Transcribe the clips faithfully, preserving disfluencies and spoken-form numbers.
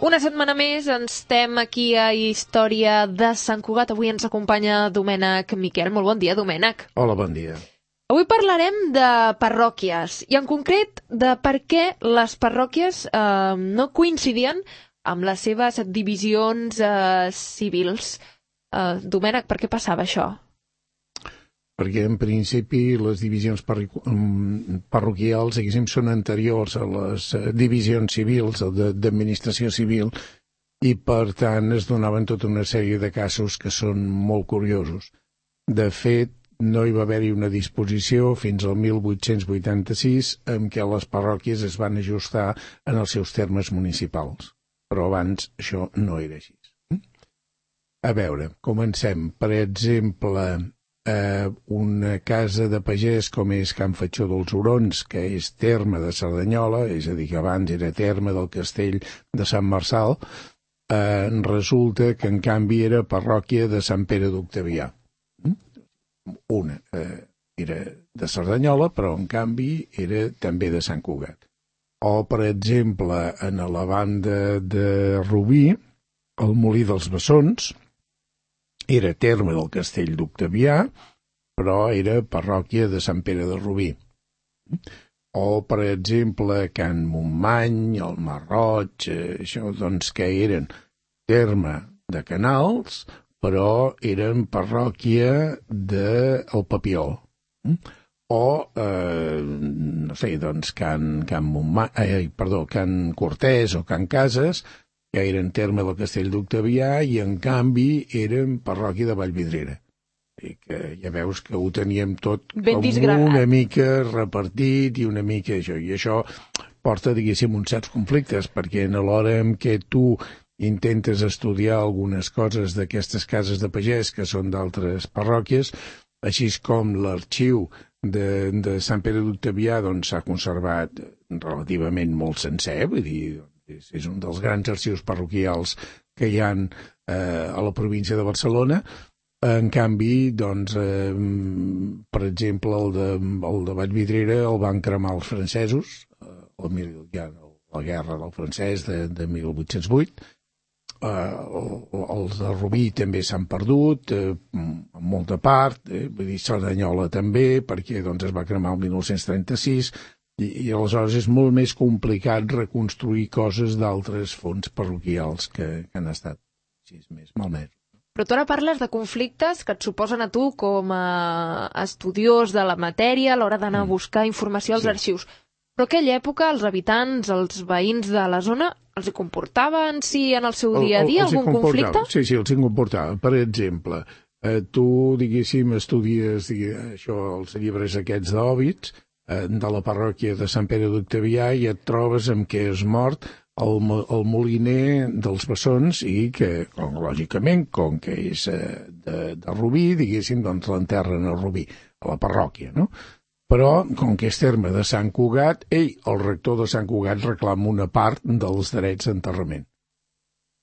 Una setmana més ens estem aquí a Història de Sant Cugat. Avui ens acompanya Domènec Miquel. Molt bon dia, Domènec. Hola, bon dia. Avui parlarem de parròquies i en concret de per què les parròquies eh, no coincidien amb les seves divisions eh, civils. Eh, Domènec, per què passava això? Perquè en principi les divisions parroquials, diguéssim, són anteriors a les divisions civils, d'administració civil, i per tant es donaven tota una sèrie de casos que són molt curiosos. De fet, no hi va haver-hi una disposició fins al mil vuit-cents vuitanta-sis en què les parròquies es van ajustar en els seus termes municipals. Però abans això no era així. A veure, comencem. Per exemple, eh, una casa de pagès com és Can Fatxó dels Hurons, que és terme de Cerdanyola, és a dir, que abans era terme del castell de Sant Marçal, eh, resulta que en canvi era parròquia de Sant Pere d'Octavià. Una eh, era de Cerdanyola, però en canvi era també de Sant Cugat. O, per exemple, en la banda de Rubí, el Molí dels Bessons era terme del castell d'Octavià, però era parròquia de Sant Pere de Rubí. O, per exemple, Can Montmany, el Marroig, eh, això, doncs, que eren terme de Canals, però eren parròquia del Papiol. O, eh, no sé, doncs, Can, Can Montmany, eh, perdó, Can Cortés o Can Cases, que eren terme del castell d'Octavià i, en canvi, eren parròquia de Vallvidrera. I que ja veus que ho teníem tot ben com disgregat, una mica repartit i una mica això. I això porta, diguéssim, uns certs conflictes, perquè a l'hora en què tu intentes estudiar algunes coses d'aquestes cases de pagès que són d'altres parròquies, així com l'arxiu de, de Sant Pere d'Octavià doncs s'ha conservat relativament molt sencer, vull dir, és, és un dels grans arxius parroquials que hi ha eh, a la província de Barcelona. En canvi, doncs, eh, per exemple, el de, el de Vallvidrera el van cremar els francesos, eh, el, ja, la guerra del francès de, de mil vuit-cents vuit. Eh, els de Rubí també s'han perdut, eh, en molta part, eh, vull dir, Cerdanyola també, perquè doncs, es va cremar el mil nou-cents trenta-sis, i, i aleshores és molt més complicat reconstruir coses d'altres fons parroquials que, que han estat així, més malmesos. Però tu ara parles de conflictes que et suposen a tu com a estudiós de la matèria a l'hora d'anar a buscar informació als Sí. arxius. Però aquella època els habitants, els veïns de la zona, els hi comportava en si en el seu dia a dia algun conflicte? Sí, sí, els hi comportava. Per exemple, eh, tu, diguéssim, estudies diguéssim, això, els llibres aquests d'Òbits, eh, de la parròquia de Sant Pere d'Octavià, i et trobes amb què és mort el, el moliner dels Bessons i que, com, lògicament, com que és eh, de, de Rubí, diguéssim, doncs l'enterren a Rubí, a la parròquia, no? Però, com que és terme de Sant Cugat, ell, el rector de Sant Cugat, reclama una part dels drets d'enterrament.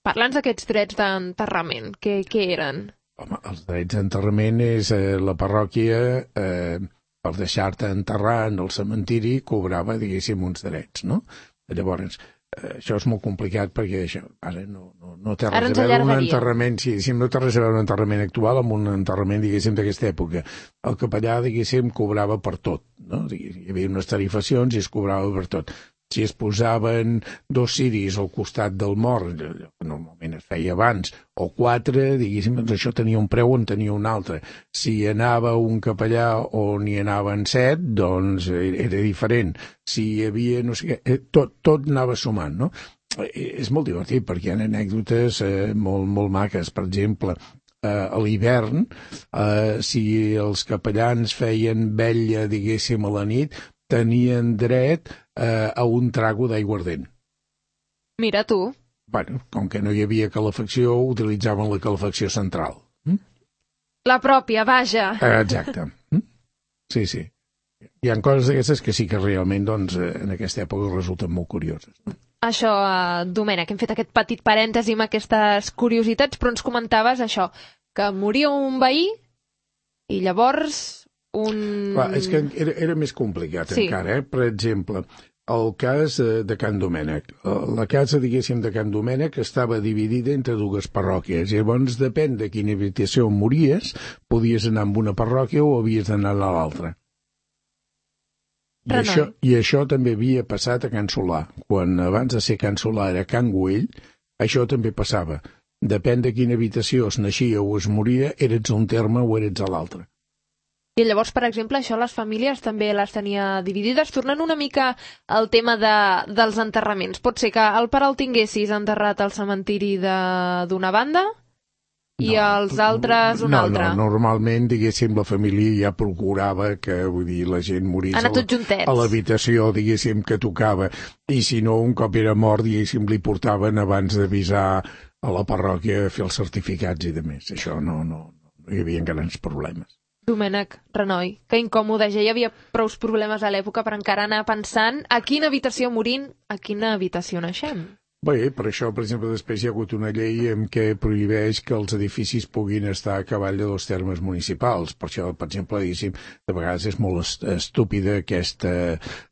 Parlants d'aquests drets d'enterrament, què, què eren? Home, els drets d'enterrament és eh, la parròquia, eh, per deixar-te enterrar en el cementiri, cobrava, diguéssim, uns drets, no? Llavors, eh, això és molt complicat perquè això, ara no, no, no té res a veure un enterrament, sí, no té res a veure un enterrament actual amb un enterrament, diguéssim, d'aquesta època. El capellà, diguéssim, cobrava per tot, no? Hi havia unes tarifacions i es cobrava per tot. Si es posaven dos ciris al costat del mort, que normalment es feia abans, o quatre, diguéssim, doncs això tenia un preu, en tenia un altre. Si anava un capellà on hi anaven set, doncs era diferent. Si hi havia, no sé què, tot, tot anava sumant, no? És molt divertit perquè hi ha anècdotes eh, molt, molt maques. Per exemple, eh, a l'hivern, eh, si els capellans feien vetlla, diguéssim, a la nit, tenien dret eh, a un trago d'aiguardent. Mira tu. Bueno, com que no hi havia calefacció, utilitzaven la calefacció central. Mm? La pròpia, vaja. Eh, exacte. Mm? Sí, sí. Hi ha coses d'aquestes que sí que realment, doncs, en aquesta època resulten molt curioses. Això, eh, Domènec, hem fet aquest petit parèntesi amb aquestes curiositats, però ens comentaves això, que moria un veí i llavors un... Clar, és que era, era més complicat sí. encara, eh? Per exemple, el cas de Can Domènec. La casa, diguéssim, de Can Domènec estava dividida entre dues parròquies. Llavors, depèn de quina habitació mories, podies anar a una parròquia o havies d'anar a l'altra. I això, I això també havia passat a Can Solà. Quan abans de ser Can Solà era Can Güell, això també passava. Depèn de quina habitació es naixia o es moria, eres un terme o eres a l'altre. I llavors, per exemple, això les famílies també les tenia dividides. Tornant una mica al tema de, dels enterraments. Pot ser que el pare el tinguessis enterrat al cementiri d'una banda i no, els altres una no, altra. No, normalment, diguéssim, la família ja procurava que, vull dir, la gent morís Anar tots juntets. A l'habitació, diguéssim, que tocava. I si no, un cop era mort, diguéssim, li portaven abans d'avisar a la parròquia a fer els certificats i de més. Això no, no, no hi havia grans problemes. Domènec, Renoi, que incòmode, ja hi havia prou problemes a l'època per encara anar pensant a quina habitació morint, a quina habitació naixem. Bé, per això, per exemple, després hi ha hagut una llei en què prohibeix que els edificis puguin estar a cavall de dos termes municipals. Per això, per exemple, diguéssim, de vegades és molt estúpida aquesta,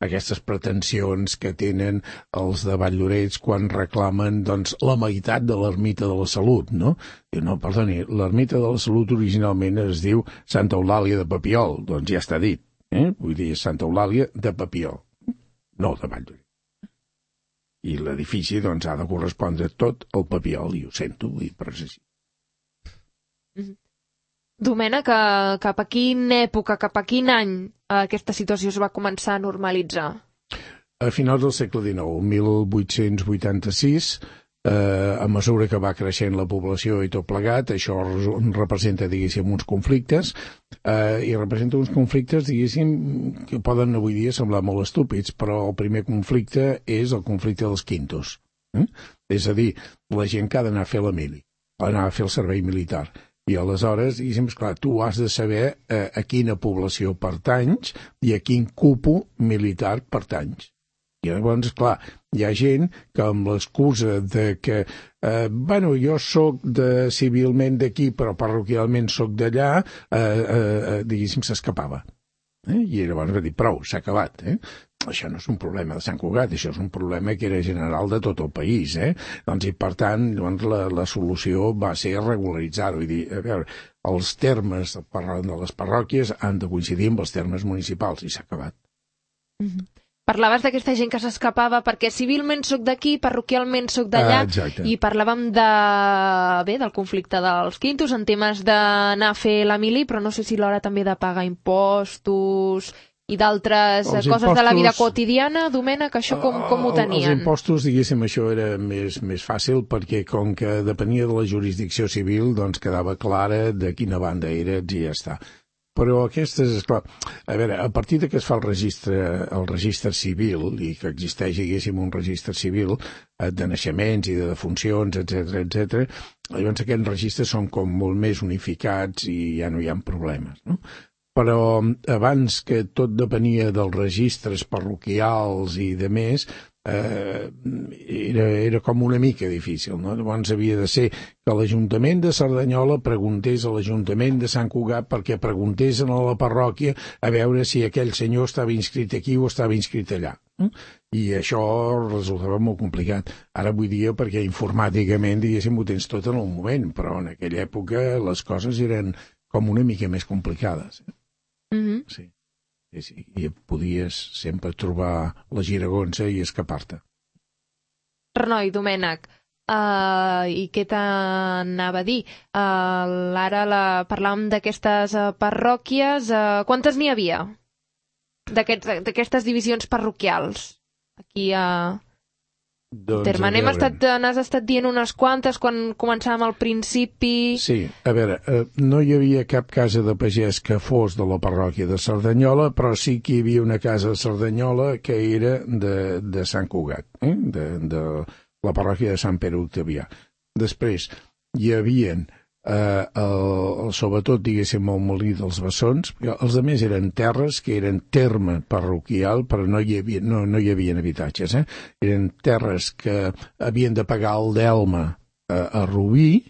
aquestes pretensions que tenen els de Valldoreix quan reclamen, doncs, la meitat de l'ermita de la Salut, no? Diu, no, perdoni, l'ermita de la Salut originalment es diu Santa Eulàlia de Papiol, doncs ja està dit, eh? Vull dir, Santa Eulàlia de Papiol, no de Valldoreix. I l'edifici, doncs, ha de correspondre tot al Papiol, i ho sento, vull dir, però és així. Domènec, cap a quina època, cap a quin any aquesta situació es va començar a normalitzar? A finals del segle dinou, mil vuit-cents vuitanta-sis, eh, a mesura que va creixent la població i tot plegat, això representa, diguéssim, uns conflictes, eh, i representa uns conflictes, diguéssim, que poden avui dia semblar molt estúpids, però el primer conflicte és el conflicte dels quintos. Eh? És a dir, la gent que ha d'anar a fer la mili, anar a fer el servei militar. I aleshores, diguéssim, esclar, tu has de saber eh, a quina població pertanys i a quin cupo militar pertanys. I llavors, clar, hi ha gent que amb l'excusa de que, eh, bueno, jo sóc de, civilment d'aquí, però parroquialment sóc d'allà, eh, eh, diguéssim, s'escapava. Eh? I llavors va dir, prou, s'ha acabat. Eh? Això no és un problema de Sant Cugat, això és un problema que era general de tot el país. Eh? Doncs, i per tant, doncs, la, la solució va ser regularitzar-ho. I dir, a veure, els termes de les parròquies han de coincidir amb els termes municipals, i s'ha acabat. Mm-hmm. Parlaves d'aquesta gent que s'escapava perquè civilment soc d'aquí, parroquialment soc d'allà, ah, i parlàvem de, bé, del conflicte dels quintos en temes d'anar a fer la mili, però no sé si l'hora també de pagar impostos i d'altres coses impostos, de la vida quotidiana. Domènec, això com, com ho tenien? Els impostos, diguéssim, això era més, més fàcil perquè com que depenia de la jurisdicció civil, doncs quedava clara de quina banda eres i ja està. Però aquestes, esclar, a veure, a partir de que es fa el registre, el registre civil i que existeix, diguéssim, un registre civil de naixements i de defuncions, etcètera, etcètera, llavors aquests registres són com molt més unificats i ja no hi ha problemes, no? Però abans, que tot depenia dels registres parroquials i de més, eh, era, era com una mica difícil, no? Llavors havia de ser que l'Ajuntament de Cerdanyola preguntés a l'Ajuntament de Sant Cugat perquè preguntés a la parròquia a veure si aquell senyor estava inscrit aquí o estava inscrit allà. I això resultava molt complicat. Ara avui dia, perquè informàticament, diguéssim, ho tens tot en un moment, però en aquella època les coses eren com una mica més complicades. Mm-hmm. Sí. Sí, sí, i podies sempre trobar la giragonsa i escapar-te. Renoi, Domènec, uh, i què t'anava a dir? Uh, ara la, parlàvem d'aquestes uh, parròquies. Uh, quantes n'hi havia? D'aquestes divisions parroquials? Aquí a... Uh... Doncs, Terme, n'hem estat, n'has estat dient unes quantes quan començàvem al principi... Sí, a veure, eh, no hi havia cap casa de pagès que fos de la parròquia de Cerdanyola, però sí que hi havia una casa de Cerdanyola que era de, de Sant Cugat, eh? de, de la parròquia de Sant Pere Octavià. Després hi havia, eh, el, sobretot, diguéssim, el molí dels Bessons, els altres eren terres que eren terme parroquial, però no hi havia, no, no hi havia habitatges. Eh? Eren terres que havien de pagar el delme a, a Rubí,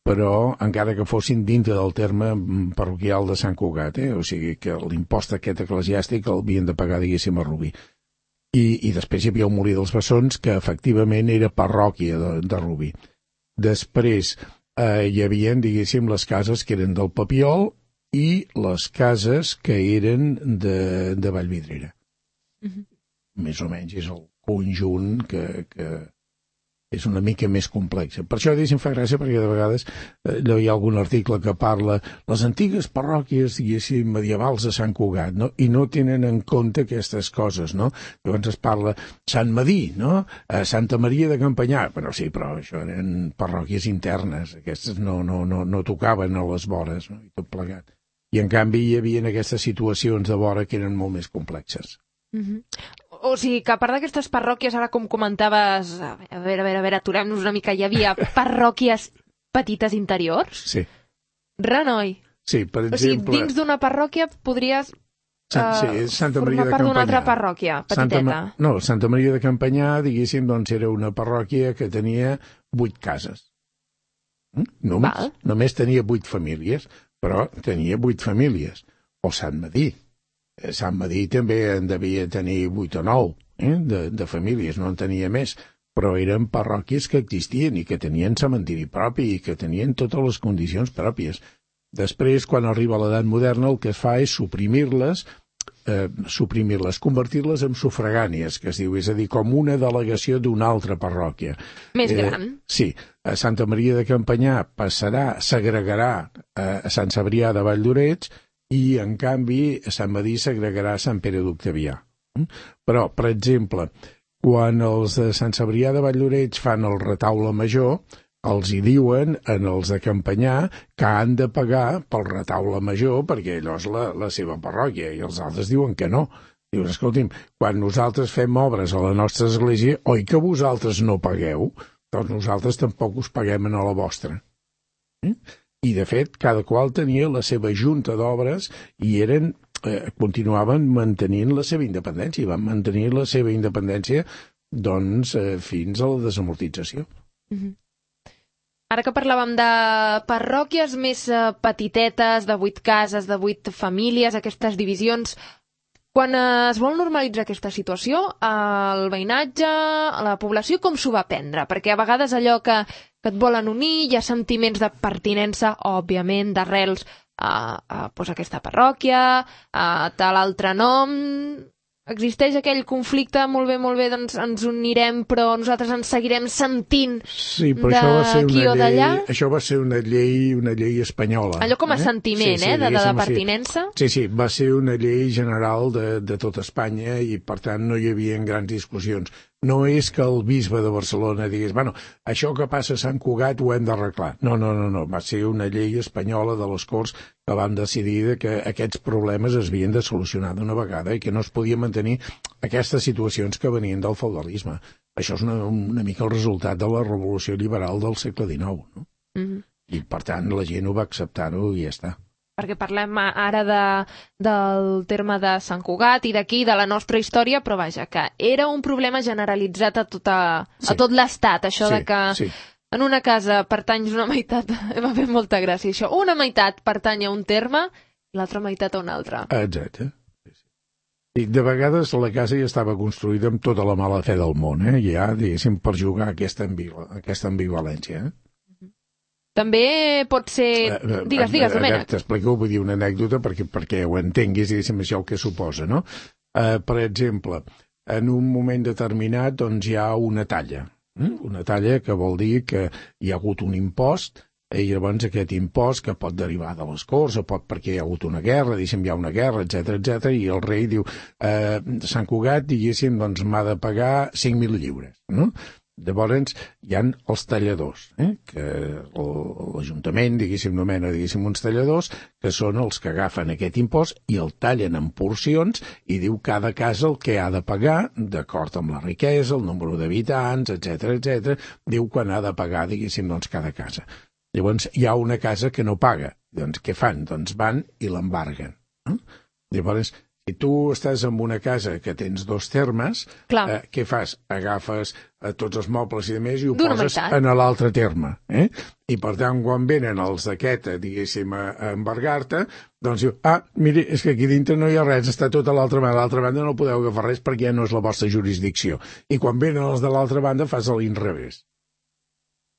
però encara que fossin dintre del terme parroquial de Sant Cugat, eh? O sigui que l'impost aquest eclesiàstic el havien de pagar, diguéssim, a Rubí. I, i després hi havia el Molí dels Bessons, que efectivament era parròquia de, de Rubí. Després eh, hi havia, diguéssim, les cases que eren del Papiol i les cases que eren de, de Vallvidrera. Mm-hmm. Més o menys és el conjunt que, que és una mica més complex. Per això, diguéssim, fa gràcia, perquè de vegades eh, hi ha algun article que parla les antigues parròquies, diguéssim, medievals de Sant Cugat, no? I no tenen en compte aquestes coses, no? Llavors es parla Sant Madí, no? Eh, Santa Maria de Campanyà. Però sí, però això eren parròquies internes, aquestes no, no, no, no tocaven a les vores, no? I tot plegat. I en canvi hi havia aquestes situacions de vora que eren molt més complexes. Mm-hmm. O sigui, que a part d'aquestes parròquies, ara com comentaves, a veure, a veure, a veure, aturem-nos una mica, hi havia parròquies petites interiors? Sí. Renoi. Sí, per exemple... O sigui, dins d'una parròquia podries uh, sí, Santa formar Maria de part d'una Campanyà. altra parròquia, petiteta. Santa, no, Santa Maria de Campanyà, diguéssim, doncs era una parròquia que tenia vuit cases. Només, Val. només tenia vuit famílies, però tenia vuit famílies. O Sant Madí. Sant Madí també en devia tenir vuit o nou eh, de, de famílies, no en tenia més, però eren parròquies que existien i que tenien cementiri propi i que tenien totes les condicions pròpies. Després, quan arriba l'edat moderna, el que es fa és suprimir-les, eh, suprimir-les, convertir-les en sufragànies, que es diu, és a dir, com una delegació d'una altra parròquia. Més eh, gran. Sí, a Santa Maria de Campanyà passarà, s'agregarà a Sant Cebrià de Valldoreix, i, en canvi, a Sant Madí s'agregarà a Sant Pere d'Octavià. Però, per exemple, quan els de Sant Cebrià de Valldoreix fan el retaule major, els hi diuen, en els de Campanyà, que han de pagar pel retaule major, perquè allò és la, la seva parròquia, i els altres diuen que no. Diuen, escolti'm, quan nosaltres fem obres a la nostra església, oi que vosaltres no pagueu? Doncs nosaltres tampoc us paguem a la vostra. Eh? I, de fet, cada qual tenia la seva junta d'obres i eren, eh, continuaven mantenint la seva independència, i van mantenir la seva independència doncs, eh, fins a la desamortització. Mm-hmm. Ara que parlàvem de parròquies més eh, petitetes, de vuit cases, de vuit famílies, aquestes divisions, quan eh, es vol normalitzar aquesta situació, el veïnatge, la població, com s'ho va prendre? Perquè a vegades allò que que et volen unir, hi ha sentiments de pertinença, òbviament, d'arrels a, a, pues, a aquesta parròquia, a tal altre nom. Existeix aquell conflicte, molt bé, molt bé, doncs ens unirem, però nosaltres ens seguirem sentint sí, però això va ser d'aquí o d'allà. Això va ser una llei, una llei espanyola. Allò com a eh? sentiment, sí, sí, eh, de, de, de pertinença. Sí, sí, va ser una llei general de, de tot Espanya i, per tant, no hi havia grans discussions. No és que el bisbe de Barcelona digués, bueno, això que passa a Sant Cugat ho hem d'arreglar. No, no, no, no, va ser una llei espanyola de les Corts que van decidir que aquests problemes es havien de solucionar d'una vegada i que no es podia mantenir aquestes situacions que venien del feudalisme. Això és una, una mica el resultat de la revolució liberal del segle dinou, no? Mm-hmm. I, per tant, la gent ho va acceptar-ho i ja està. Perquè parlem ara de, del terme de Sant Cugat i d'aquí, de la nostra història, però vaja, que era un problema generalitzat a, tota, sí. a tot l'Estat, això sí, de que sí. en una casa pertanys una meitat, m'ha fet molta gràcia això, una meitat pertany a un terme i l'altra meitat a un altre. Exacte. I de vegades la casa ja estava construïda amb tota la mala fe del món, eh? ja, diguéssim, per jugar aquesta, ambigu aquesta ambivalència, eh? També pot ser... Digues, digues, Domènec. T'explico, vull dir una anècdota perquè, perquè ho entenguis, diguéssim, això el que suposa, no? Uh, per exemple, en un moment determinat doncs, hi ha una talla. Eh? Una talla que vol dir que hi ha hagut un impost i llavors aquest impost que pot derivar de les Corts o pot perquè hi ha hagut una guerra, diguéssim, hi ha una guerra, etcètera, etcètera, i el rei diu eh, Sant Cugat, diguéssim, doncs m'ha de pagar cinc mil lliures, no? Llavors hi ha els talladors, eh? que l'Ajuntament, diguéssim, nomena, diguéssim, uns talladors, que són els que agafen aquest impost i el tallen en porcions i diu cada casa el que ha de pagar, d'acord amb la riquesa, el nombre d'habitants, etcètera, etcètera, diu quan ha de pagar, diguéssim, doncs cada casa. Llavors hi ha una casa que no paga, doncs què fan? Doncs van i l'embarguen. Eh? Llavors, Si tu estàs en una casa que tens dos termes, eh, què fas? Agafes eh, tots els mobles i demés i ho poses en l'altre terme. Eh? I per tant, quan venen els d'aquest, diguéssim, a, a embargar-te, doncs diu, ah, miri, és que aquí dintre no hi ha res, està tot a l'altra banda, a l'altra banda no podeu agafar res perquè ja no és la vostra jurisdicció. I quan venen els de l'altra banda fas a l'inrevés.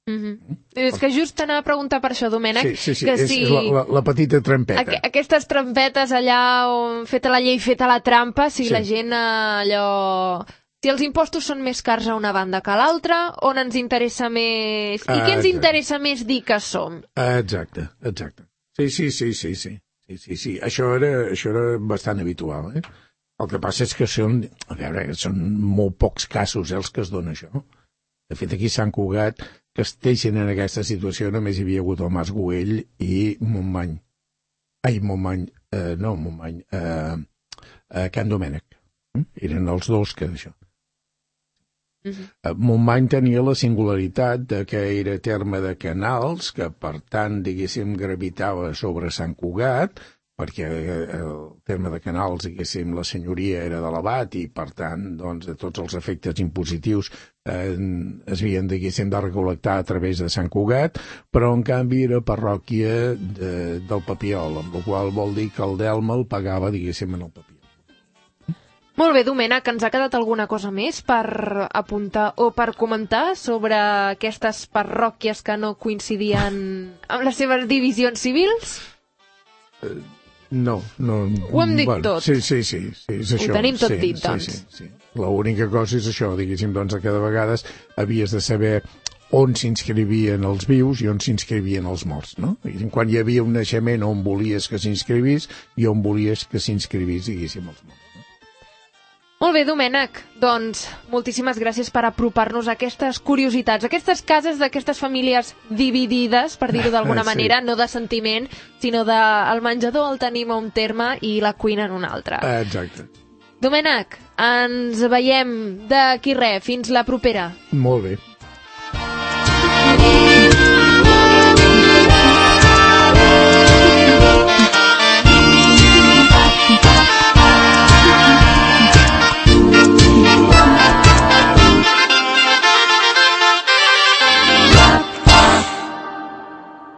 Mm-hmm. És que just t'anava a preguntar per això, Domènec. Sí, sí, sí, que és, si... és la, la, la petita trampeta. Aqu aquestes trampetes allà on feta la llei, feta la trampa, si sí. La gent allò... Si els impostos són més cars a una banda que a l'altra, on ens interessa més... I ah, què ens interessa més dir que som? Ah, exacte, exacte. Sí, sí, sí, sí, sí. sí, sí, sí. Això, era, això era bastant habitual, eh? El que passa és que són, a veure, són molt pocs casos eh, els que es dona això. De fet, aquí a Sant Cugat, que estiguin en aquesta situació, només hi havia hagut el Mas Güell i Montmany. Ai, Montmany, eh, no, Montmany, eh, eh, Can Domènec. Eh? Eren els dos que d'això. Uh-huh. Montmany tenia la singularitat de que era terme de Canals, que per tant, diguéssim, gravitava sobre Sant Cugat, perquè el terme de Canals, diguéssim, la senyoria era de l'Abat i, per tant, doncs, tots els efectes impositius eh, es havien, diguéssim, de recol·lectar a través de Sant Cugat, però, en canvi, era parròquia de, del Papiol, amb la qual vol dir que el delme el pagava, diguéssim, en el Papiol. Molt bé, Domènec, ens ha quedat alguna cosa més per apuntar o per comentar sobre aquestes parròquies que no coincidien amb les seves divisions civils? Uh, no, no. Ho hem dit bueno, tot. Sí, sí, sí, sí, és això. Ho tenim tot sí, dit, doncs. Sí, sí, sí. L'única cosa és això, diguéssim, doncs, que de vegades havies de saber on s'inscrivien els vius i on s'inscrivien els morts, no? Quan hi havia un naixement on volies que s'inscrivís i on volies que s'inscrivís, diguéssim, els morts. Molt bé, Domènec, doncs moltíssimes gràcies per apropar-nos a aquestes curiositats, a aquestes cases d'aquestes famílies dividides, per dir-ho d'alguna sí. manera, no de sentiment, sinó de el menjador el tenim a un terme i la cuina en un altre. Exacte. Domènec, ens veiem d'aquí res, fins la propera. Molt bé.